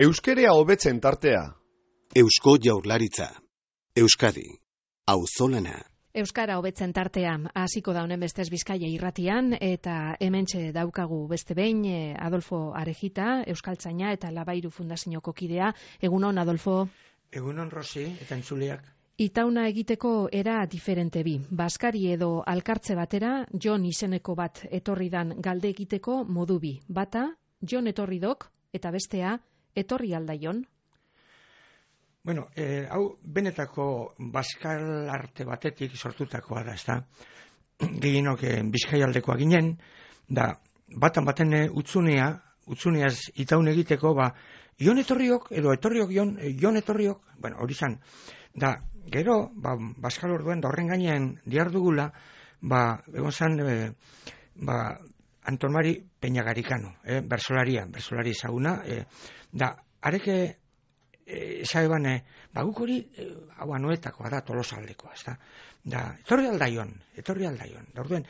Euskerea hobetzen tartea. Eusko Jaurlaritza. Euskadi. Auzolana. Euskara hobetzen tartean hasiko da honen bestez Bizkaia irratian, eta hementxe daukagu beste behin Adolfo Arejita, euskaltzaina eta Labairu Fundazioko kidea. Egunon, Adolfo. Egunon, Rosi, eta entzuleak. Itauna egiteko era diferente bi. Baskari edo alkartze batera, Jon izeneko bat etorri dan galde egiteko modu bi. Bata, Jon etorri dok, eta bestea, etorri aldaion. Bueno, hau benetako baskal arte batetik sortutakoa da, ezta? Gehienok Bizkaialdekoa ginen, da batan baten utzuneaz itaun egiteko, Jon etorriok edo etorriok Jon etorriok, bueno, hori zan. Da, gero, baskal orduen da horren gainean diardugula, egon zan, Anton Mari Peñagarikano, bersolari ezaguna, da, areke esaeban, guk hori, hau anuetakoa da, Tolosaldekoa, ez da? Da, etorri aldaion. Da, orduen,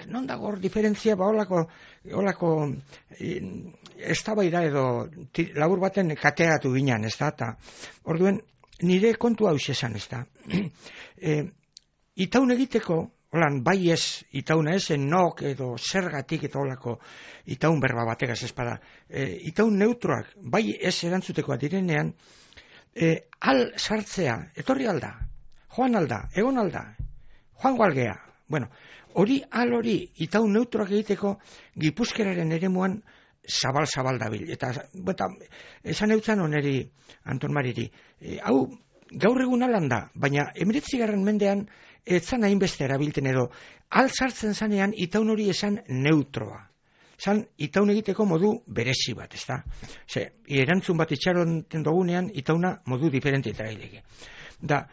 non dago hor diferentzia, holako eztabaida edo labur baten kateatu ginen, ez da? Ta, orduen, nire kontu hau esan, ez da? Itaun egiteko, holan, bai ez, itauna ez, nok edo zergatik eta holako itaun berba bategaz espada. Itaun neutroak, bai ez erantzutekoa direnean, al sartzea, etorri alda, joan alda, egon alda, joango algea. Bueno, hori itaun neutroak egiteko Gipuzkeraren eremuan zabal dabil. Eta esan eutzan oneri, Anton Mariri, hau gaur egun alan da, baina 19. mendean etzan hainbeste erabilten edo, al sartzen zanean itaun hori esan neutroa. Zan, itaun egiteko modu berezi bat, ez da? Erantzun bat itxaronten dugunean, itauna modu diferente eta gaileke. Da,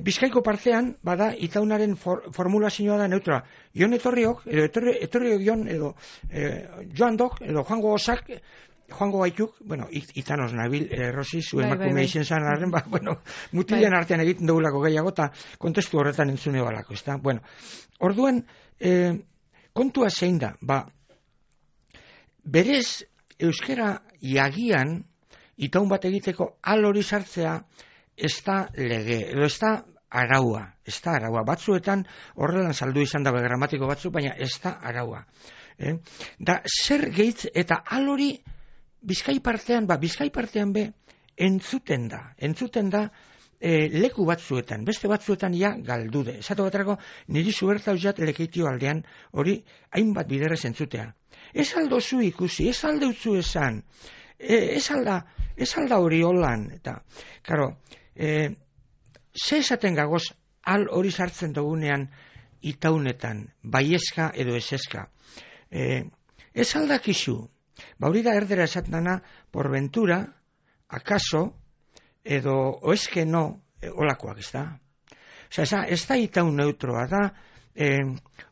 Bizkaiko partean, bada, itaunaren formulazioa da neutroa. Jon etorriok, edo etorriok Jon, edo joan dok, edo joango osak, joango gaituk, bueno, itanos nabil, Rosi, zu emakume izen zan arren, mutilen artean egiten dugulako gehiago, eta kontestu horretan entzune balako, ez da? Bueno, orduen, kontua zein da, berez, euskera jagian, itaun bat egiteko al hori sartzea, ez da lege, edo ez da araua, batzuetan horrelan saldu izan dabe gramatiko batzu, baina ez da araua. Da, zer gehitz eta al hori Bizkai partean be entzuten da leku batzuetan, beste batzuetan ja galdude. Esatu baterako niri zubertau jat lekeitio aldean hori hainbat biderrez entzutea. Ez aldozu ikusi, ez aldeutzu esan, ez alda hori holan, eta, karo, ze esaten gagoz al hori sartzen dugunean itaunetan, baiezka edo eseska. Ez aldakizu, hori da erdera esatena, por ventura, akaso, edo oeske no, olakoak, ez da? Osa, ez da itaun neutroa da,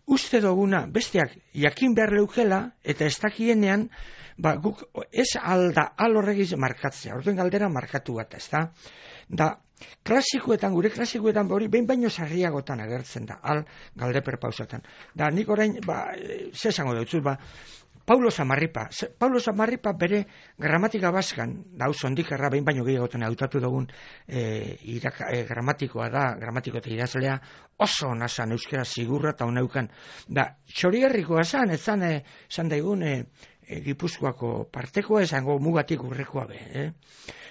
uste duguna, besteak jakin behar leukela, eta ez dakienean, guk ez alda, al horregiz markatzea, orduen galdera markatu bat, ez da? Da, gure klasikoetan hori, behin baino sarriagotan agertzen da, al galdeper pausatan. Da, nik orain, ze esango dut, Paulo Samarripa bere gramatika baskan, da, zondikarra behin baino gehiagotan hautatu dugun gramatikoa da, gramatiko eta idazlea, oso nazan euskera zigurra eta honeukan. Da, txorigarrikoa esan daigun Gipuzkoako partekoa esango mugatik urrekoa be.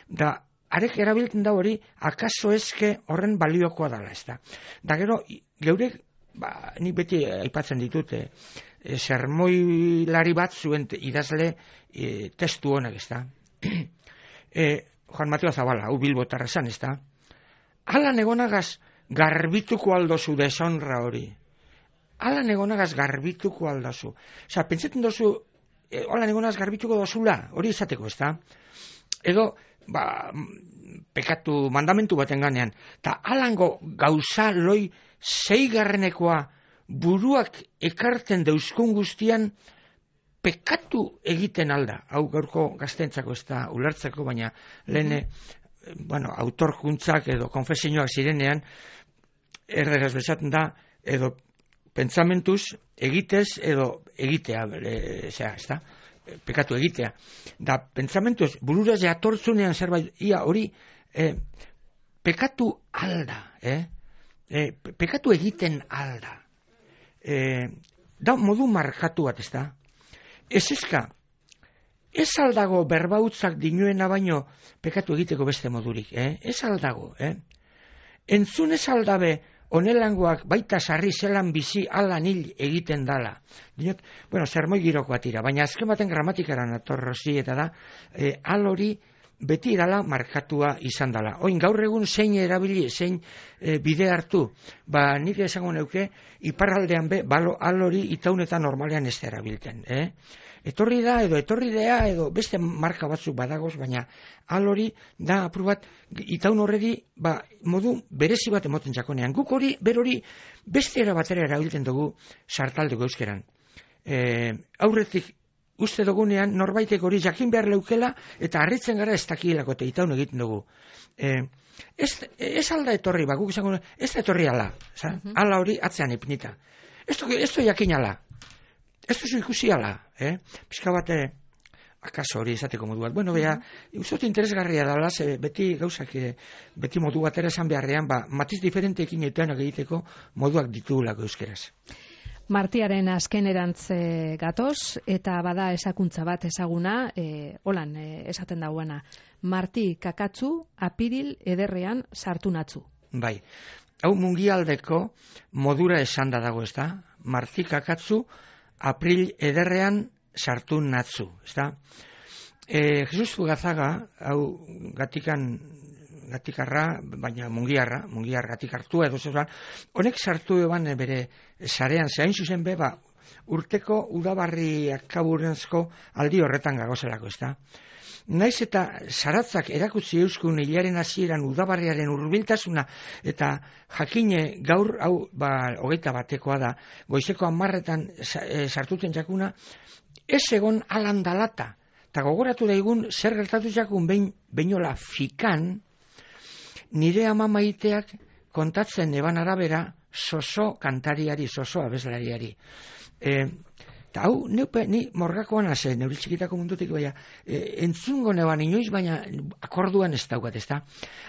Da, arek erabiltzen da hori, akaso eske horren baliokoa dala, ez da. Da, gero, geurek, nik beti aipatzen ditut, sermoilari bat zuen idazle testu honek, ez da. Juan Mateo Zabala, hau Bilbotarra esan, ez da. Alan egonagaz garbituko aldozu deshonra hori. Alan egonagaz garbituko aldozu. Osa, pentsetan dozu, alan egonagaz garbituko dozula, hori izateko, ez da. Edo, pekatu mandamentu baten ganean, eta alango gauza loi zeigarrenekoa buruak ekarten deuskun guztian pekatu egiten alda. Hau gaurko gaztentzako ez da ulertzeko, baina lehen, autorkuntzak edo konfesioak zirenean, erderaz bezaten da, edo pentsamentuz egitez edo egitea, ez da. pekatu egitea. Da, pentsamentu ez, burura jatortzunean zerbait, ia hori, pekatu alda, pekatu egiten alda. Da, modu markatu bat, ez da? Ez ezka, ez aldago berbautzak dinuena baino pekatu egiteko beste modurik, ez aldago, Entzun ez aldabe onelangoak baita sarri zelan bizi alan hil egiten dala. Dinot, bueno, zermoi girokoa tira, baina azken baten gramatikaran atorrozi eta da, hori beti irala markatua izan dala. Oin gaur egun zein erabili, zein bide hartu, nik esango neuke, iparraldean hori itaunetan normalean ez da erabilten. Etorri da, edo beste marka batzuk badagoz, baina hori da apur bat, itaun horredi, modu berezi bat emoten jakonean. Guk hori, berori, beste era batera erabilten dugu sartaldeko euskeran. Aurretik, uste dugunean, norbaitek hori jakin behar leukela, eta harritzen gara ez dakilako eta itaun egiten dugu. Ez alda etorri, guk izango, ez da etorri ala, ala hori atzean ipnita. Ez du jakin ala. Ez duzu ikusi ala, pixka bat, akaso hori izateko modu bat. Bueno, uzot interesgarria dala, beti gauzak, beti modu batera esan beharrean, matiz diferenteekin egiteko moduak ditugulako euskeraz. Martiaren azkenerantz gatoz, eta bada esakuntza bat ezaguna, holan esaten dauena. Marti kakatzu, apiril ederrean sartu natzu. Bai, hau mungialdeko modura esan da dago, ez da? Marti kakatzu, april ederrean sartu natzu, ez da? Jesus Fugazaga, hau gatikarra, baina mungiar gatik hartua edo zegoen, honek sartu eban bere sarean, zehain zuzen be, urteko udabarriak kaburentzko aldi horretan gagozelako, ez da? Naiz eta zaratzak erakutzi euskun hilaren hasieran udabarriaren hurbiltasuna eta jakine gaur, hau, 21 da, goizeko 10etan sartuten jakuna, ez egon alan dalata. Eta gogoratu daigun, zer gertatu jakun beinola fikan, nire ama maiteak kontatzen eban arabera soso kantariari, soso abeslariari. Eta hau, ni morgakoan haze, neuri txikitako mundutik, entzungo neban inoiz, baina akorduan ez daukat, ez da.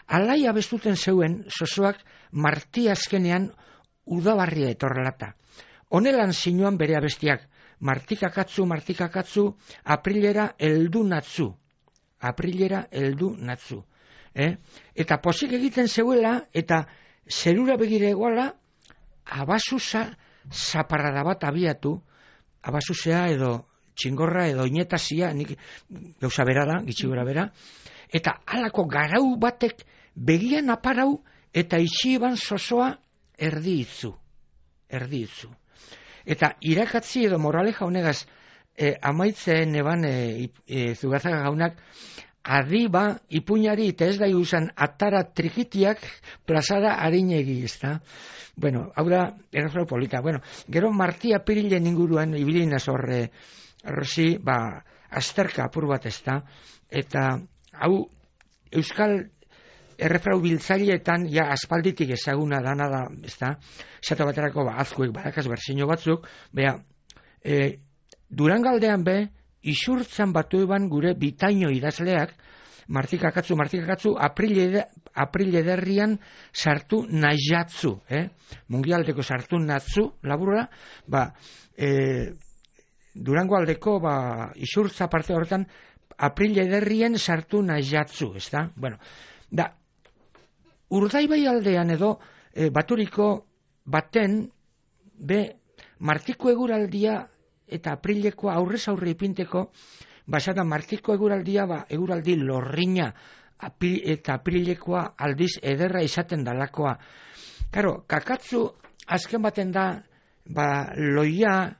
Alai abestuten zeuen sosoak marti azkenean udabarria etorrelata. Honelan zinuan bere abestiak, martikakatzu, aprilera heldu natzu. Eta posik egiten zeuela, eta zerura begire egoala, abasusa zaparrada bat abiatu, abasusea edo txingorra edo inetazia, nik gauza bera da, gitxigora bera, eta halako garau batek begian aparau eta itxiban sosoa erdi itzu. Eta irakatzi edo moraleja honegaz amaitzen eban Zugazaga jaunak adiba ipuñari eta ez da usan atara trikitiak plazara harinegi, ez da? Bueno, hau da, errofrau polita. Bueno, gero Marti apirilen inguruan ibilinaz horre, rosi, azterka apur bat ez da? Eta hau euskal errefrau biltzaileetan ja aspalditik ezaguna dana da, ez da? Zata baterako azkuek badakaz berzino batzuk, Durangaldean isurtzan batu eban gure bitaino idazleak, martikakatzu, april ederrian sartu najatzu, mungialdeko sartu natzu, laburra, Durango aldeko isurtza parte horretan, april ederrien sartu najatzu, ez da? Bueno, Urdaibai aldean edo baturiko baten, martiko eguraldia eta aprilekoa aurrez aurre ipinteko, basada martiko eguraldia, eguraldi lorrina eta aprilekoa aldiz ederra izaten dalakoa. Karo, kakatzu azken baten da, loia,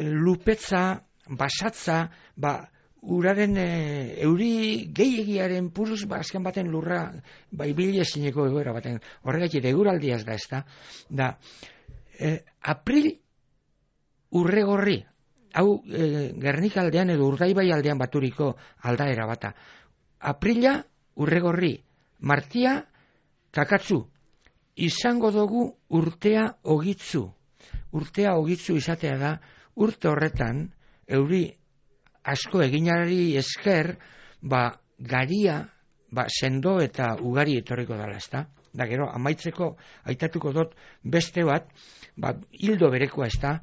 lupetza, basatza, uraren euri gehiagiaren puruz, azken baten lurra, ibili ezineko egoera baten, horregatik eguraldiaz da, ez da, april urregorri, hau Gernikaldean edo Urdaibai aldean baturiko aldaera bata. Aprila urregorri, martia kakatzu, izango dugu urtea ogitzu. Urtea ogitzu izatea da, urte horretan, euri asko eginari esker, garia, sendo eta ugari etorriko dela, ezta? Da gero, amaitzeko aitatuko dut beste bat, hildo berekoa, ezta?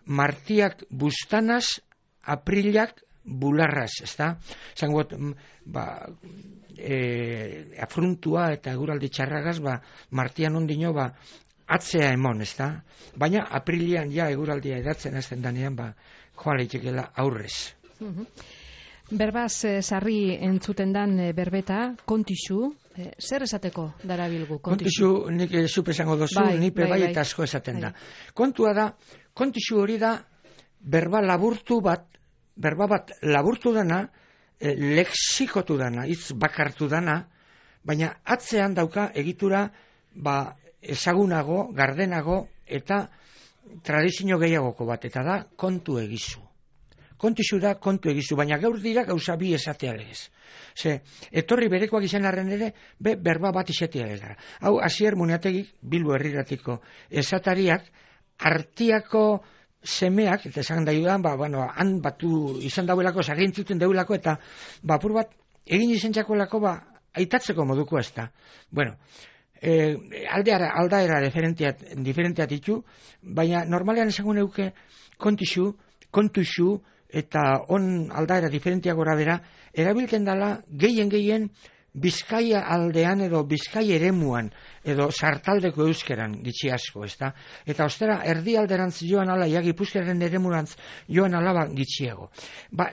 Martiak bustanaz, aprilak bularraz, ezta? Zangot, afruntua eta eguraldi txarragaz, martian ondino, atzea emon, ezta? Baina aprilian ja eguraldia edatzen azten danean, joa leitekela aurrez. Berbaz sarri entzuten dan berbeta, kontixu, zer esateko darabilgu? Kontixu, nik zupe esango dozu, nipe bai eta asko esaten da. Kontua da, kontixu hori da, berba bat laburtu dana, lexikotu dana, hitz bakartu dana, baina atzean dauka egitura, ezagunago, gardenago, eta tradizio gehiagoko bat, eta da kontu egizu. Kontixu da kontu egizu, baina gaur dira gauza bi esatea legez. Etorri berekoak izan arren ere, berba bat izatea legara. Hau, Asier Muñategik, Bilbo herriratiko esatariak, Artiako semeak, eta esan da judan, han batu izan dauelako, zagintzuten dauelako, eta apur bat, egin izan txakolako, aitatzeko moduko ez da. Bueno, aldaera diferenteat ditu, baina normalean esango neuke kontuxu, eta on aldaera diferentia gora bera, erabiltzen dela gehien Bizkaia aldean edo Bizkaia eremuan edo sartaldeko euskeran gitxi asko, ezta? Eta ostera erdi alderantz joan ala, Gipuzkoaren eremurantz joan alaba gitxiago.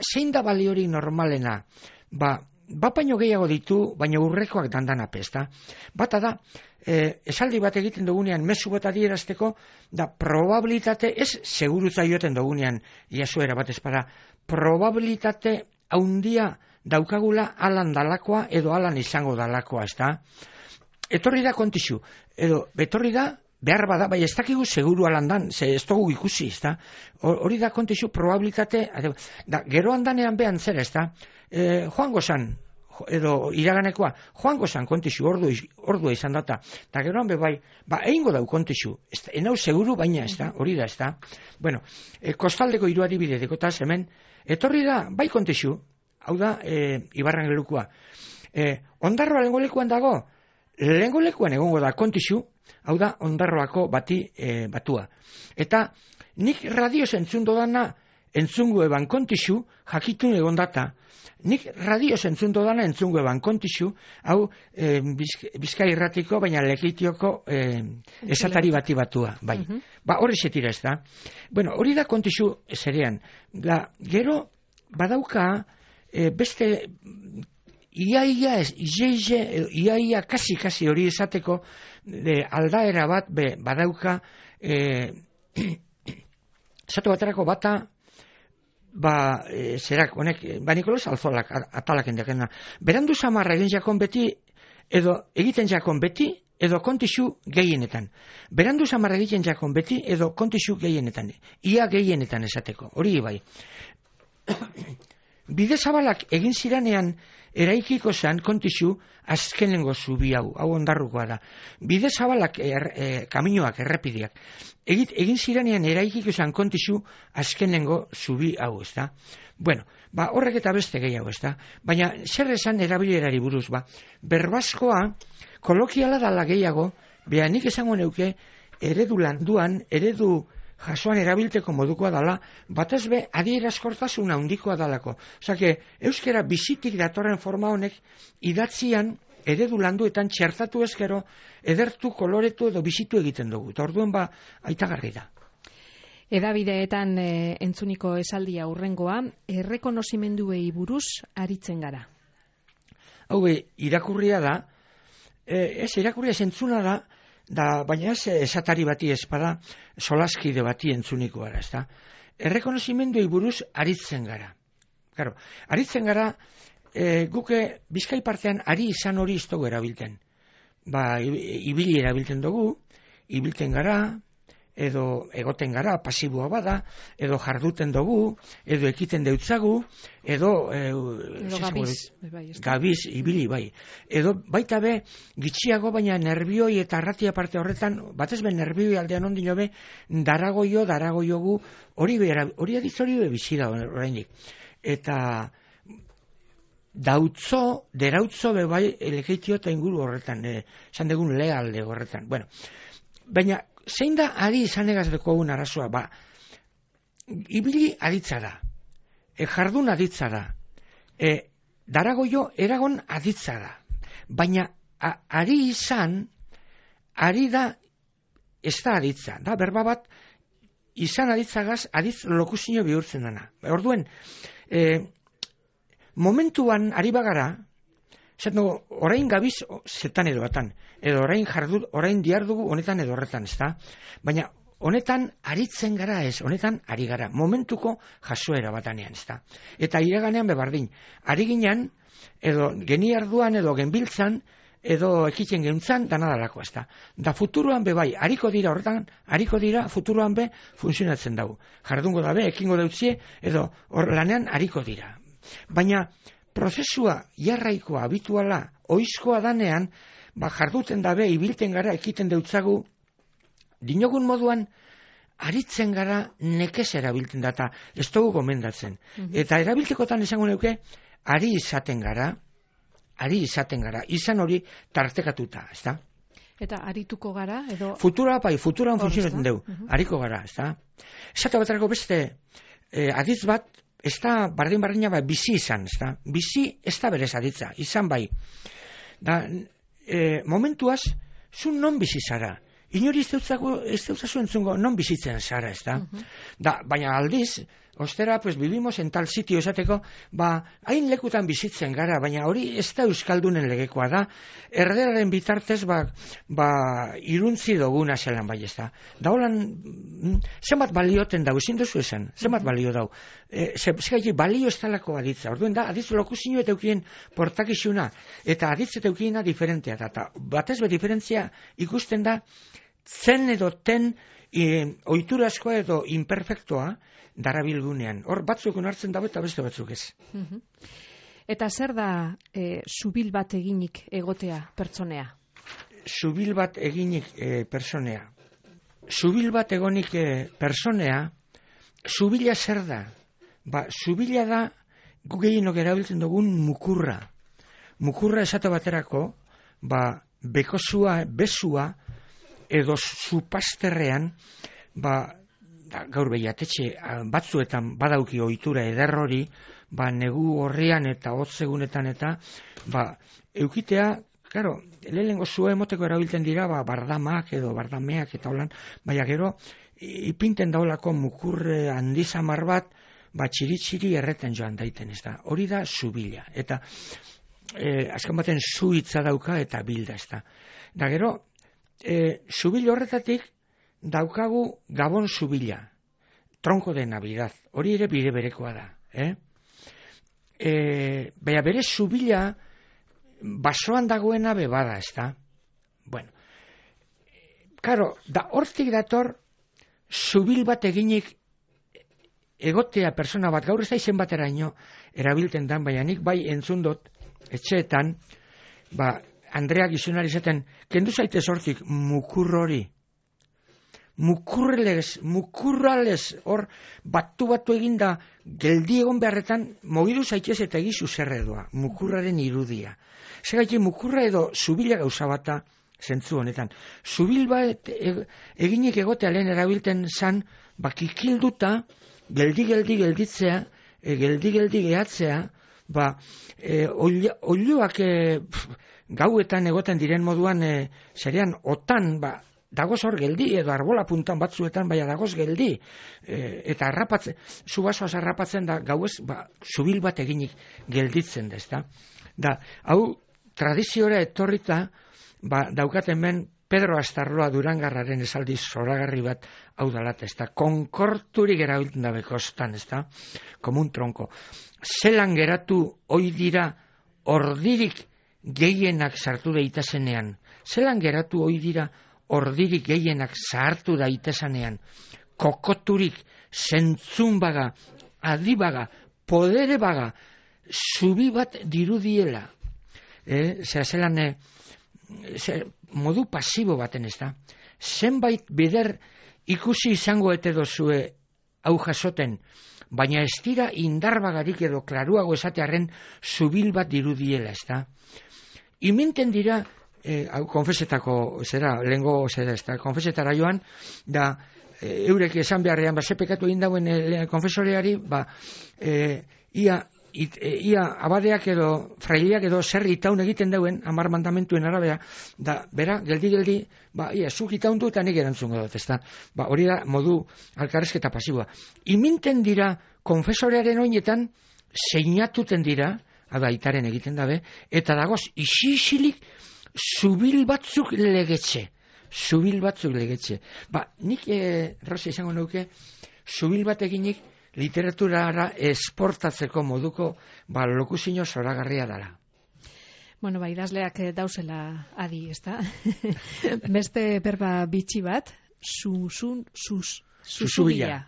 Zein da baliori normalena? Baino gehiago ditu, baina urrekoak dandanap, ezta? Bata da, esaldi bat egiten dugunean mezu bat adierazteko, da probabilitate, ez segurutza joeten dugunean, jasuera bat ezpada, probabilitate haundia daukagula alan dalakoa edo alan izango dalakoa, ezta? Etorri da kontixu, edo betorri da, behar bada, bai ez dakigu seguru alan dan, ez dugu ikusi, ezta? Hori da kontixu probabilitate, gero handanean behan zer, ezta? Joango zan, edo iraganekoa, joango zan kontixu, ordua izan data, eta geroan bai, egingo dau kontixu, enau seguru baina, ezta? Hori da, ezta? Bueno, kostaldeko hiru adibide dekotaz hemen, etorri da, bai kontixu, hau da, Ibarran gelukua. Ondarroa lehengo lekuan dago, lehengo lekuan egongo da kontixu, hau da, Ondarroako batua. Eta nik radioz entzun dodana, entzungo eban kontixu, jakitun egon data. Nik radioz entzun dodana, entzungo eban kontixu, hau Bizkai irratiko, baina Lekitioko esatari bati batua. Bai. Hori setira ez da. Bueno, hori da kontixu zerean. Gero, badauka, beste iaia kasi hori esateko aldaera bat badauka esatu baterako bata zerak honek Nikolas Alzolak atalak endekena berandu samarra egin jakon beti edo egiten jakon beti edo kontixu gehienetan berandu samarra egiten jakon beti edo kontixu gehienetan ia gehienetan esateko hori bai. Bide zabalak egin ziranean eraikiko zan kontixu azkenengo zubi hau Ondarrukoa da. Bide zabalak kaminoak, errepideak. Egin ziranean eraikiko zan kontixu azkenengo zubi hau, ez da? Bueno, horrek eta beste gehiago, ez da? Baina zer esan erabilerari buruz, berbazkoa kolokiala dala gehiago, nik esango neuke eredu landuan, eredu jasoan erabilteko modukoa dala, batez be adierazkortasuna handikoa dalako. Osake, euskera bizitik datorren forma honek idatzian eredu landuetan txertatu ezkero edertu, koloretu edo bizitu egiten dugu. Eta orduen aitagarri da. Edabideetan entzuniko esaldia hurrengoa, errekonozimenduei buruz aritzen gara. Hau irakurria da, irakurria zentzuna da, baina ez esatari bati ezpada solaskide bati entzuniko gara, ezta? Errekonozimenduei buruz aritzen gara. Claro, aritzen gara, guke Bizkai partean ari izan hori ez dugu erabilten. Ibili erabilten dugu, ibilten gara, edo egoten gara, pasiboa bada, edo jarduten dugu, edo ekiten deutzagu, edo gabiz, ibili bai. Edo baita be, gitxiago, baina nerbioi eta arratia parte horretan, batez be nerbioi aldean ondino be, daragoio gu, hori adizori be bizida horreinik. eta derautzo bebai elekeitio eta inguru horretan, esan dugun lealde horretan. Bueno, baina, zein da ari izanegaz dekogun arazoa, ibili aditza da, jardun aditza da, daragoio eragon aditza da, baina ari izan, ari da, ez da aditza, da berba bat, izan aditzagaz, aditz lokuzio bihurtzen dana. Orduen, momentuan ari bagara, orain gabiz zetan edo batan, edo orain diardugu honetan edo horretan, ez da? Baina honetan aritzen gara ez, honetan ari gara, momentuko jasoera batanean, ez da? Eta iraganean bebardin, ari ginen, edo geniarduan, edo genbiltzan, edo ekiten geuntzan, danadalako, ez da? Da futuroan be bai, hariko dira, futuroan be funtzionatzen dugu. Jardungo dabe, ekingo deutzie, edo lanean hariko dira. Baina prozesua jarraikoa, habituala, oizkoa danean, jarduten dabe, ibilten gara, ekiten deutzagu, dinogun moduan, aritzen gara, nekez erabilten data, ez dugu gomendatzen. Eta erabiltekotan esango neuke, ari izaten gara, izan hori tartekatuta, ez da? Eta arituko gara, edo... Futuran funtzionatzen dugu, ariko gara, ez da? Esate baterako beste, aditz bat, ez da bardin-bardina bizi izan, ez da? Bizi ez da berez aditza, izan bai. Da, momentuaz, zu non bizi zara? Inori ez deutzazu entzungo non bizitzen zara, ez da? Baina aldiz, ostera, pues vivimos en tal sitio esateko, hain lekutan bizitzen gara, baina hori ez da euskaldunen legekoa da, erderaren bitartez, iruntzi duguna zelan bai, ez da. Da holan, zenbat balioten dau, ezin duzu esan, zenbat balio dau. Zegaiti, balio ez talako aditza, orduen da, aditz lokuzio eta eukien portakizuna, eta aditz eta eukiena diferentea da, eta batez be diferentzia ikusten da, zen edo ten oiturazkoa edo imperfektoa darabilgunean. Hor batzuk onartzen dago eta beste batzuk ez. Eta zer da zubil bat eginik egotea pertsonea? Zubil bat eginik pertsonea. Zubil bat egonik pertsonea, zubila zer da? Zubila da gu gehienok erabiltzen dugun mukurra. Mukurra esate baterako, bekozua, bezua, edo zupasterrean, gaur behiatetxe batzuetan badauki ohitura eder hori, negu horrian eta hotzegunetan eta, eukitea, claro, lehenengo zua emoteko erabiltzen dira, bardamak edo bardameak eta holan, baina gero, ipinten daulako mukurre handizamar bat, txiri-txiri erreten joan daiten, ez da. Hori da zubila, eta azken baten zu hitza dauka eta bilda, ez da. Da gero, zubil horretatik daukagu Gabon zubila, tronko de Navidad, hori ere bide berekoa da. Baina bere zubila basoan dagoena bebada, ez da. Bueno, karo, da hortik dator zubil bat eginik egotea persona bat, gaur ez da izen bateraino erabilten dan, baina nik bai entzun dut etxeetan, Andreak izunari zaten, kendu zaitez hortik mukur hori. Mukurrales, hor batu eginda, geldi egon beharretan, mogidu zaitez eta egizu zerredua, mukurraren irudia. Segaitik mukurra edo zubila gauza bata zentzu honetan. Zubil bat eginik egotea lehen erabilten zan, kikilduta, gelditzea, geldi gehatzea, oiloak gauetan egoten diren moduan zerean otan, dagoz hor geldi, edo arbola puntan batzuetan, dagoz geldi, eta zubasoaz harrapatzen da, gauez, zubil bat eginik gelditzen da, ezta? Da, hau, tradiziora etorrita, daukaten ben, Pedro Astarloa Durangarraren esaldi zoragarri bat hau dalat, ezta? Konkorturik erabiltzen da bekostan, ezta? Komun tronko. Zelan geratu hoi dira ordirik gehienak sartu daitezenean. Zelan geratu hoi dira ordirik gehienak sartu daitezenean. Kokoturik, zentzunbaga, adibaga, poderebaga, zubi bat dirudiela. Zelan modu pasibo baten, ez da. Zenbait bider ikusi izango ete dozue hau jasoten, baina ez dira indarbagarik edo klaruago esatearen zubil bat dirudiela, ezta? Iminten dira, konfesetako, lehengo, konfesetara joan, da, eurek esan beharrean, ze pekatu egin dauen konfesoreari, ia abadeak edo frailiak edo zer itaun egiten dauen 10 mandamentuen arabera, da, bera, geldi, zuk itaun du eta nik erantzungo dut, ezta? Hori da modu alkarrezketa pasiboa. Iminten dira konfesorearen oinetan seinatuten dira, aitaren egiten dabe, eta dagoz isilik zubil batzuk legetxe. Nik, Rosa, izango nuke, zubil bat eginik literaturara esportatzeko moduko lokuzio zoragarria dela. Bueno, idazleak dauzela adi, ezta? Beste berba bitxi bat, susubila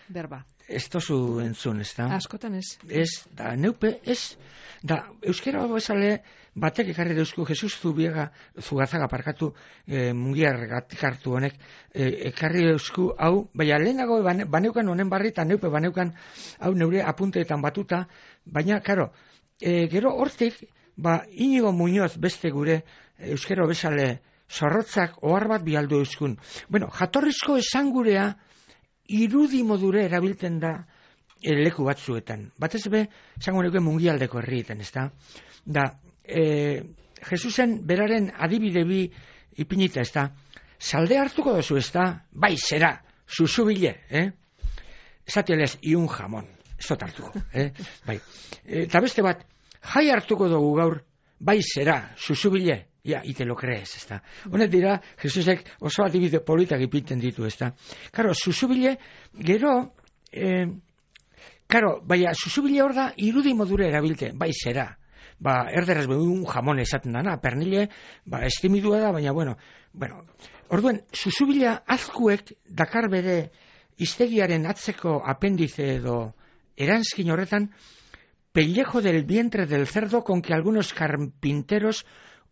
berba. Ez tozu entzun, ez da? Askotan ez. Ez, da, neupe, ez. Da, euskera bezale batek ekarri deuzku, Jesus Zugazaga parkatu mungiar hartu honek, ekarri deuzku, hau, baina lehenago baneukan honen barri, eta neupe baneukan, hau neure apunteetan batuta, baina, karo, gero hortik, Inigo Muñoz beste gure euskera bezale zorrotzak ohar bat bialdu euskun. Bueno, jatorrizko esangurea, irudi modure erabiltzen da leku batzuetan. Batez be, esango nuke mungialdeko herrietan, ez da? Da, Jesusen beraren adibide bi ipinita, ez da? Salde hartuko dozu, ez da? Bai, zera, susubile, esatielez, iun jamon, ez dut hartuko, bai. Eta beste bat, jai hartuko dugu gaur, bai, zera, susubile, ja, ite lo crees, ez da. Honet dira, Jesusek oso adibide politak ipinten ditu, ez da. Karo, susubile, gero, baina susubile hor da, irudi modure erabilte, bai, zera. Erderaz un jamon esaten dana, pernile, estimidua da, baina, bueno, orduen, susubila azkuek dakar bere hiztegiaren atzeko apendize edo eranskin horretan, pellejo del vientre del cerdo con que algunos carpinteros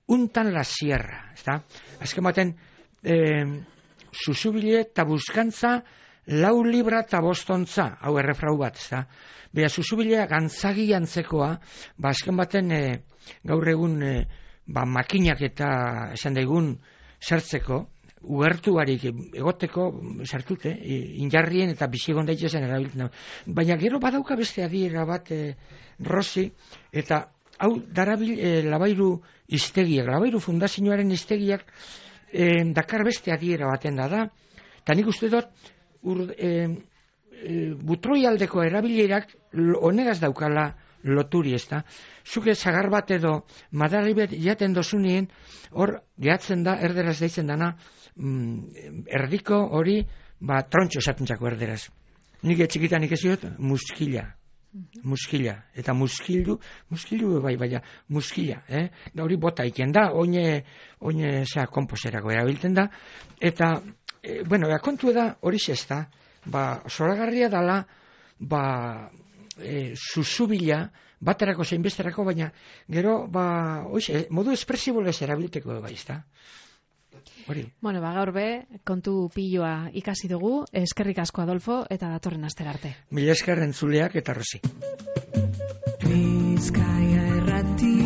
untan la sierra, ¿está? Azken baten, susubile eta buskantza 4 libra eta 5 ontza, hau errefrau bat, ¿está? Bea, susubilea gantzagi antzekoa, azken baten gaur egun makinak eta esan daigun sartzeko, ugertuarik egoteko sartute, injarrien eta bizigon daitezen erabiltzen. Baina gero badauka beste adiera bat, Rosi, eta hau darabil Labairu hiztegiak, Labairu fundazioaren hiztegiak dakar beste adiera baten da, eta nik uste dut butroialdeko erabilerak honegaz daukala loturi, ez da. Zuke zagar bat edo madarri bet jaten dozunien, hor gehatzen da, erderaz deitzen dana, erdiko hori, trontxo esatentzako erderaz. Nik etxikitan ikesiot, muskila. Eta muskildu bai, muskila, da hori bota iken da, oine komposerako erabiltzen da, eta, kontu eda hori zesta, zoragarria dala, susubila, baterako zein besterako, baina gero, modu espresibolez erabilteko bai, ezta? Hori. Bueno, gaur be, kontu piloa ikasi dugu, eskerrik asko Adolfo, eta datorren astera arte. Mila esker entzuleak eta Rosi. Bizkaia Irratia.